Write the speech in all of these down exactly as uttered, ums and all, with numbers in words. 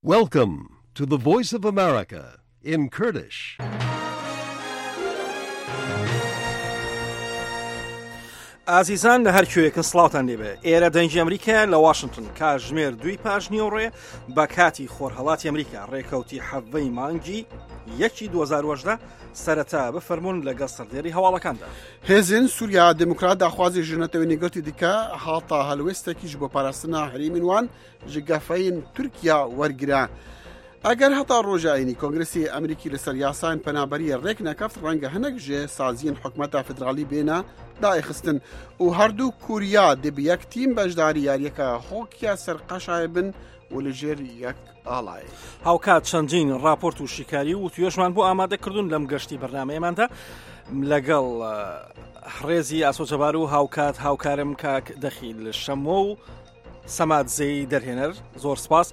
Welcome to the Voice of America in Kurdish. ئازیزان لە هەر کوێیەکن سڵاوتان لێبێ. ئێرە دەنگی ئەمریکا لە واشنگتن کاتژمێر دووی پاش نیوەڕێ بە کاتی خۆرهەڵاتی ئەمریکا ڕێکەوتی حەڤەی مانگی یەکی دوو هەزار و هەژدە. سەرەتا بفەرمونون لەگەڵ سەردێری هەواڵەکاندا. هێزên Sûriya Demokrat daxwazê ji Netewên Yekgirtî dike hata helwêstekî ji bo parastina herêmên wan ji gefeyên Tirkiya wergire. ئەگەر هەتا ڕۆژە ئەینی کۆنگرسی ئەمریکی لەسەر یاسایان پەنابەریە ڕێک نەکەفت، ڕەنگە هەنێک ژێ سازیên حکومەتە فیدراڵی بێنە دایخستن و هەردوو کوریا دێ بە یەک تیم بەشداری یاریەکە هۆکیا سەرقەشای بن و لەژێر یەک ئاڵایە. هاوکات چەندین راپۆرت و شیکاری و توێژمان بۆ ئامادەکردون لەم گەشتی بەرنامەیەماندا لەگەڵ ڕێزی ئاسۆ جەبار و هاوکات هاوکارم کاک دەخیل شەمۆ و سەماد زەی دەرهێنەر. زۆر سپاس.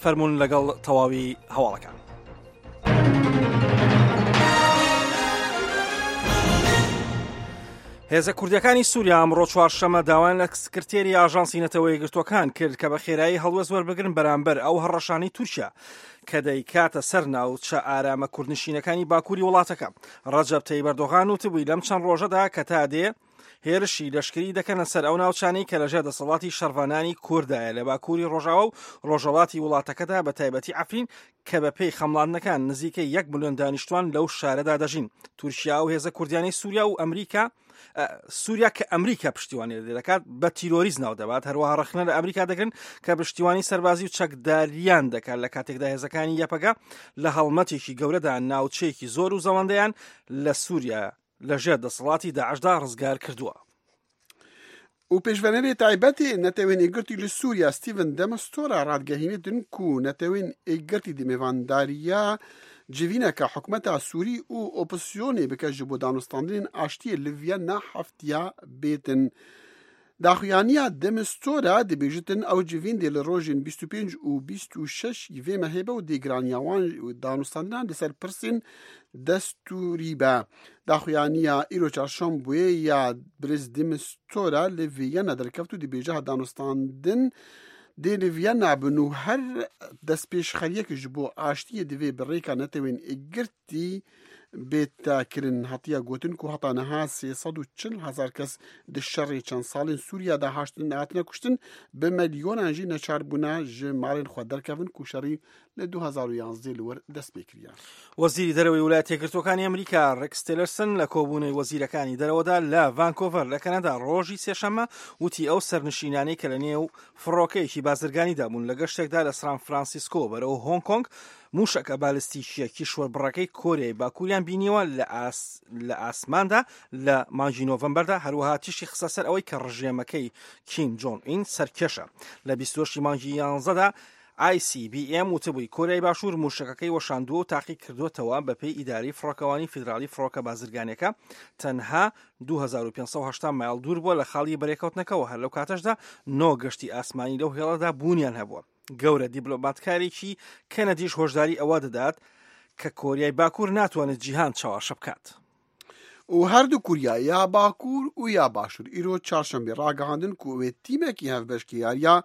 فەرمونون لەگەڵ تەواوی هەواڵەکان. هێزە کوردیەکانی سووریا ئەمڕۆ چوارشەممە داوایان لە سکرتێری ئاژانسی نەتەوە یەکگرتووەکان کرد کە بە خێرایی هەڵوێست وەربگرن بەرامبەر ئەو هەڕەشانەی تورکیا کە دەیکاتە سەر ناوچە ئارامە کوردنشینەکانی باکووری وڵاتەکە. ڕەجەب تەیب ئەردۆغان وتبووی لەم چەند ڕۆژەدا کە تا دێ هێرشی لەشکری دەکەنە سەر ئەو ناوچانەی کە لەژێر دەسەڵاتی شەڕڤانانی کوردایە لە باکووری ڕۆژاوا و ڕۆژهەڵاتی وڵاتەکەدا بە تایبەتی عەفرین کە بە پێی خەمڵاندنەکان نزیکەی یەک ملیۆن دانیشتوان لەو شارەدا دەژین. تورکیا و هێزە کوردیانەی سووریا و ئەمریکا سووریا کە ئەمریکا پشتیوانی لێ دەکات بە تیرۆریست ناو دەبات. هەروەها ڕەخنە لە ئەمریکا دەگرن کە پشتیوانی سەربازی و چەکداریان دەکات لە کاتێکدا هێزەکانی یەپەگە لە هەڵمەتێکی گەورەدا ناوچەیەکی زۆر و زەوەندەیان لە سووریا لەژێر دەسەڵاتی داعشدا ڕزگار کردووە. و پێشڤەنەرê taybetê Netewên Yekgirtî li Sûriya Stephen de Mistura radgehîne ku Netewên Yekgirtî di mêvandariya civîneke hikûmeta Sûrî û opozisyonê bike ji bo danûstandinên aştiyê li Vienna heftiya bêtin. Daxuyaniya de Mistura dibêjitin ew civîn dê li rojên bîst û pênc û bîst û şeş vê mehê be û dê giraniya wan danûstandinan li ser pirsên destûrî be. Daxuyaniya îro çarşembûyê ya birêz de Mistura li Vienna derkeft û dibêje danûstandin dê li Vienna bin û her destpêşxeriyek ji bo aştiyê divê bi rêka Netewên Yekgirtî bêtekirin. Hatiye gotin ku heta niha sê sed û çil hezar kes di şerê çend salên Sûriya de hatine kuştin, bi milyonan jî neçar bûne ji malên xwe derkevin ku şerî li du هەزار و یازدە li wir dest pê kiriye. وەزیری دەرەوەی ویلایەتە یەکگرتووەکانی ئەمریکا ڕێکس تیلەرسن لە کۆبوونەوەی وەزیرەکانی دەرەوەدا لە ڤانکۆڤەر لە کەنەدا ڕۆژی سێشەممە وتی ئەو سەرنشینانەی کە لە نێو فڕۆکەیەکی بازرگانیدا بوون لە گەشتێکدا لە سان فرانسیسکۆ بەرەو هۆنگ کۆنگ موشەکە بالستیکیە کیشوەربڕەکەی کۆریای باکووریان بینیوە لە ئاسماندا لە مانگی نۆڤەمبەردا. هەروەها تیشی خستە سەر ئەوەی کە ڕژێمەکەی کیم جۆن ئین سەرکێشە. لە بیست و هەشتی مانگی یانزەدا ئای سی بی ئێم وتبووی کۆریای باشوور موشەکەکەی وەشاندووە و تاقی کردوێتەوە بەپێی ئیداری فڕۆکەوانی فیدراڵی فڕۆکە بازرگانیەکە تەنها دوو هەزار و پێنج سەد و هەشتا مایل دوور بووە لە خاڵی بەرێکەوتنەکەوە. هەر لەو کاتەشدا نۆ گەشتی ئاسمانی لەو هێڵەدا بوونیان هەبووە. گەورە دیبلۆماتکارێکی کەنەدیش هۆشداری ئەوە دەدات کە کۆریای باکوور ناتوانێت جیهان چاوەشە بکات. و هەردوو کوریا یا باکوور و یا باشوور ئیرۆ چارشەمبێ ڕاگەهاندن ku wê tîmekî hevbeşkê yariya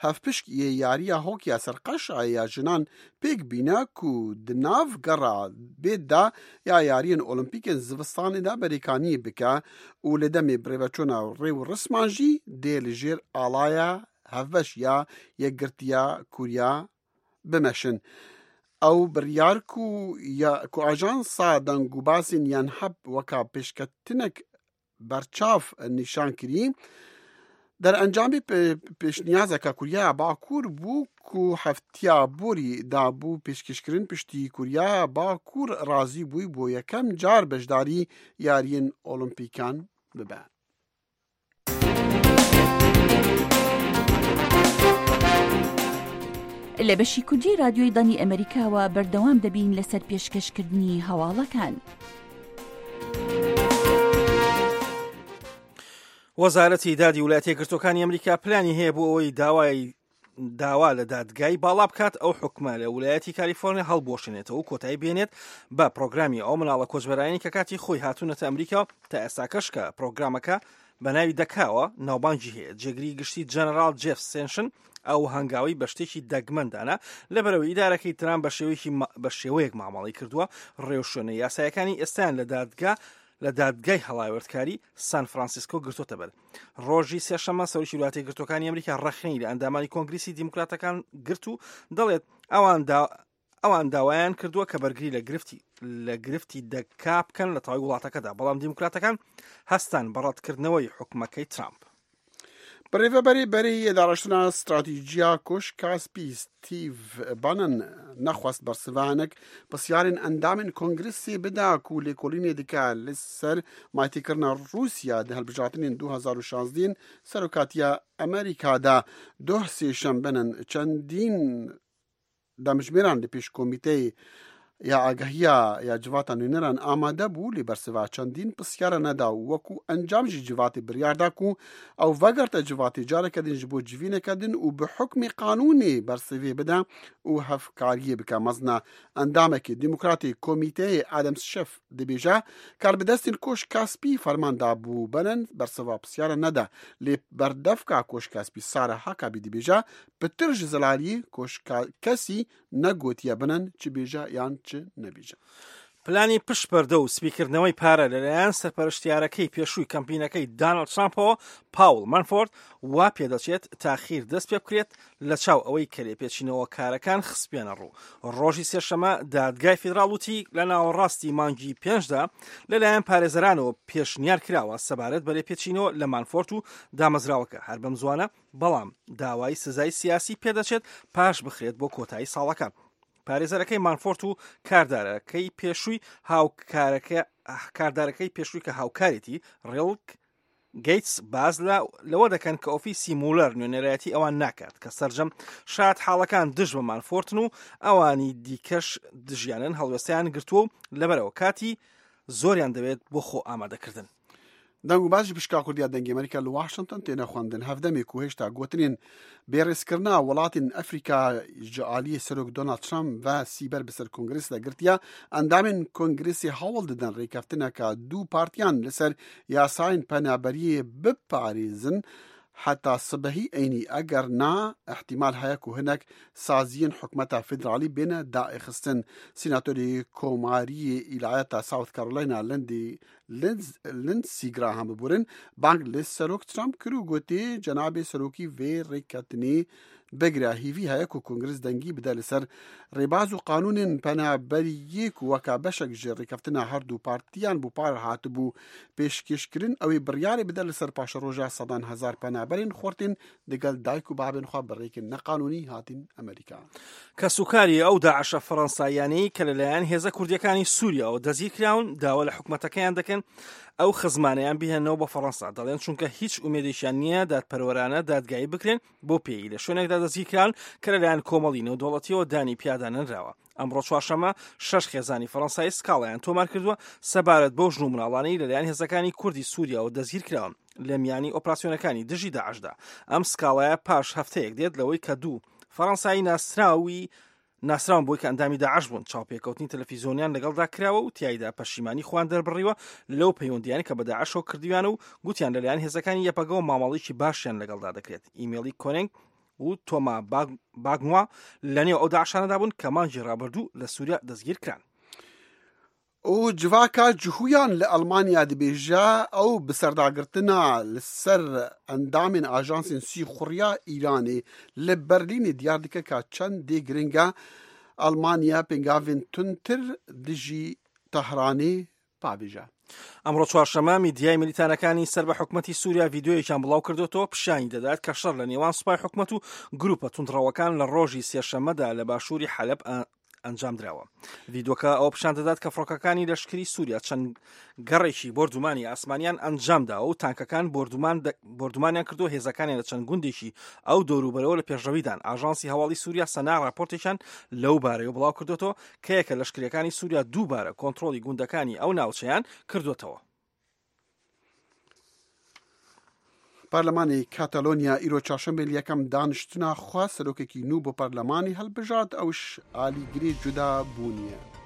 hevpişk yê yariya hokiya serqeşayê ya jinan pêk bîne ku di nav gera bê de ya yariyên olimpîkên zivistanê de berêkaniyê bike û li demê birêveçûna rê û risman jî dê li jêr alaya hevbeş ya Yekgirtiya Koriya bimeşin. ئەو بڕیار ku ئاژانسا دەنگوباسên Yanhap weka pêşketinek berçav nîşan kirî, derencamê pêşniyazeke Koreya Bakur bû ku heftiya borî dabû pêşkêşkirin piştî Koreya Bakur razî bû bo yekem car beşdarî yariyên olimpîkan bibe. لە بەشی کوردی رادیۆی دەنگی ئەمریکاوە بەردەوام دەبین لەسەر پێشکەشکردنی هەواڵەکان. وەزارەتی دادی ویلایەتە یەکگرتووەکانی ئەمریکا پلانی هەیە بۆ ئەوەی داوای داوا لە دادگای باڵا بکات ئەو حکومە لە ویلایەتی کالیفۆرنیا هەڵبوەشێنێتەوە و کۆتایی بێنێت بە پرۆگرامی ئەو مناڵە کۆچبەرانی کە کاتی خۆی هاتوونەتە ئەمریکا تا ئێستاکەش کە پرۆگرامەکە بە ناوی دەکاوە ناوبانگی هەیە. جێگری گشتی جەنەراڵ جێف سێنشن ئەو هەنگاوی بە شتێکی دەگمەندانە لەبەرەوەی ئیدارەکەی ترامپ بە شێوەیەکی بە شێوەیەک مامەڵەی کردووە ڕێوشوێنە یاسایەکانی ئێستایان لە دادگا لە دادگای هەڵاوێردکاری سان فرانسیسکۆ گرتوتە بەر. ڕۆژی سێشەممە سەرۆکی وڵاتی یەکگرتووەکانی ئەمریکا ڕەخنەی لە ئەندامانی کۆنگریسی دیموکراتەکان گرت و دەڵێت ئەوان ئەوان داوایان کردووە کە بەرگری لە گرفتی لە گرفتی دەکا بکەن لە تەواوی وڵاتەکەدا، بەڵام دیموکراتەکان هەستان بە ڕەتکردنەوەی حکومەکەی ترامپ. بەڕێوەبەری بەری داڕشتنا ستراتیژیا کۆشکا سپی ستیڤ بانن نەخواست بەرسڤانێک پرسیارên ئەندامên کۆنگرسê bida ku lêkolînê dike li ser maytêkirina Rûsya di hilbijartinên du hezar û şazdehên serokatiya Amerîka de doh sêşembinin çendîn demjimêran li pêş komîteyê ya agahiya ya civata nûneran amade bû lê bersiva çendîn pirsiyara neda û wekû encam jî civatê biryar da ku ew vegerte civatê careke din ji bo civîneke din û bi hukmê qanûnê bersivê bide û hevkariyê bike. Mezina endamekê Demokratê Komîteyê Adam Schiff dibêje karbidestên Koşka Spî ferman dabû Bannon bersiva pirsiyara neda lê berdevka Koşka Spî Sara Huckabee dibêje pitir ji zelaliyê Koşka kesî negotiye Bannon çi bêje yan چ نەبیژە. پلانی پشت پەردە و سپیکردنەوەی پارە لەلایەن سەرپەرشتیارەکەی پێشووی کەمپینەکەی داناڵد ترامپەوە پاوڵ مانفۆرد وا پێدەچێت تاخیر دەست پێ بکرێت لە چاو ئەوەی کە لێپێچینەوە کارەکان خستبێنە ڕوو. ڕۆژی سێشەمە دادگای فیدراڵ وتی لە ناوەڕاستی مانگی پێنجدا لەلایەن پارێزەرانەوە پێشنیار کراوە سەبارەت بە لێپێچینەوە لە مانفۆرد و دامەزراوەکە هەر بەم زوانە، بەڵام داوای سزای سیاسی پێدەچێت پاش بخرێت بۆ کۆتایی ساڵەکە. پارێزەرەکەی مانفۆرت و کاردارەکەی پێشووی هاوکارەکە کاردارەکەی پێشووی کە هاوکارێتی ڕێڵک گەیتس باز لەوە دەکەن کە ئۆفیسی مولەر نوێنەرایەتی ئەوان ناکات کە سەرجەم شاد حاڵەکان دژ بە مانفۆرتن و ئەوانی دیکەش دژیانن هەڵوێستیان گرتووە و لەبەرەوە کاتی زۆریان دەوێت بۆ خۆ ئامادەکردن. دەنگ و بازی پشکا کوردیا دەنگی ئەمریکا لە واشنگتن تێنە خوێندن هەڤدەمێک و هێشتا گوتنین بێڕێزکردنا وڵاتên ئەفریکا ji aliyê Serok Donald Trump ve sîber bi ser Kongresê de girtiye endamên Kongresê hewl didin rêkeftineke du partiyan li ser yasayên penaberiyê biparêzin heta sibehî eynî eger na îhtîmal heye ku hinek saziyên hikûmeta federalî bêne daêxistin. Sînatorê Komariyê Îlayeta South Carolina Lindsey Lindsey Graham bibûrin bang li Serok Trump kir û gotê cenabê serokî vê rêketinê bigire. Hêvî heye ku Kongres dengî bide li ser rêbaz û qanûnên penaberiyê ku weka beşek ji rêkeftina her du partiyan bû par hatibû pêşkêşkirin ew ê biryarê bide li ser paşeroja sedan hezar penaberên xortên digel dayik û babên xwe bi rêkên neqanûnî hatin Amerîka. کەسوکاری ئەو داعشە فەڕەنساییانەی کە لەلایەن هێزە کوردیەکانی سووریاوە دەستگیر کراون داوا لە حکومەتەکەیان دەکەن ئەو خزمانەیان بهێنەوە بە فەڕەنسا. دەڵێن چونکە هیچ ئومێدێکیان نییە دادپەروەرانە دادگایی بکرێن بۆ پێی لە شوێنێکدا دەستگیر کران کە لەلایەن کۆمەڵی نێودەوڵەتیەوە دانی پیادا نەنراوە. ئەمڕۆ چوارشەممە شەش خێزانی فەڕەنسایی سکاڵایان تۆمار کردووە سەبارەت بەو ژن و مناڵانەی لەلایەن هێزەکانی کوردی سووریاوە دەستگیر کراون لە میانی ئۆپراسیۆنەکانی دژی داعشدا. ئەم سکاڵایە پاش هەفتەیەک دێت لەوەی کە دوو فەڕەنسایی ناسراوی ناسراون بۆی کە ئەندامی داعش بوون چاوپێکەوتنی تەلەفیزیۆنیان لەگەڵدا کراوە و تیایدا پەشیمانی خوان دەربڕیوە لەو پەیوەندیانی کە بە داعشەوە کردویانە و گوتیان لەلایەن هێزەکانی یەپەگەوە مامەڵێکی باشیان لەگەڵدا دەکرێت. ئیمێلی کۆنێنگ و تۆما باگنوا لەنێو ئەو داعشانەدا بوون کە مانگی ڕابردوو لە سووریا دەستگیر کران. و جڤاکا جهویان لە ئەڵمانیا دەبێژە ئەو بەسەرداگرتنا لەسەر ئەندامên ئاژانسên سیخوڕیا ئیرانê li Berlînê diyar dike ka çend dê giringa Almanya pêngavên tundtir dijî Tehranê pavêje. ئەمڕۆ چوارشەممە میدیای ملیتانەکانی سەر بە حکومەتی سووریا ڤیدیۆیەکیان بڵاو کردوێتەوە پیشانی دەدات کە شەڕ لە نێوان سوپای حکومەت و گروپە توندڕەوەکان لە ڕۆژی سێشەممەدا لە باشووری حەلەب ئەنجام دراوە. ڤیدیۆکە ئەوە پیشان دەدات کە فڕۆکەکانی لەشکری سووریا چەند گەڕێکی بۆردومانی ئاسمانیان ئەنجامداوە و تانکەکان بۆردومانیان کردو هێزەکانیان لە چەند گوندێکی ئەو دەوروبەرەوە لە پێشڕەویدان. ئاژانسی هەواڵی سووریا سەنا راپۆرتێکیان لەو بارەیەوە بڵاو کردوێتەوە کە یەکە لەشکریەکانی سووریا دووبارە کۆنترۆڵی گوندەکانی ئەو ناوچەیان کردوێتەوە. پەرلەمانی کاتالۆنیا ئیرۆ چهارشەنبێ یەکەم دانیشتنا خوا سەرۆکێکی نوو بۆ پەرلەمانی هەڵبژارد ئەوش ئالیگری جودا بوونیە.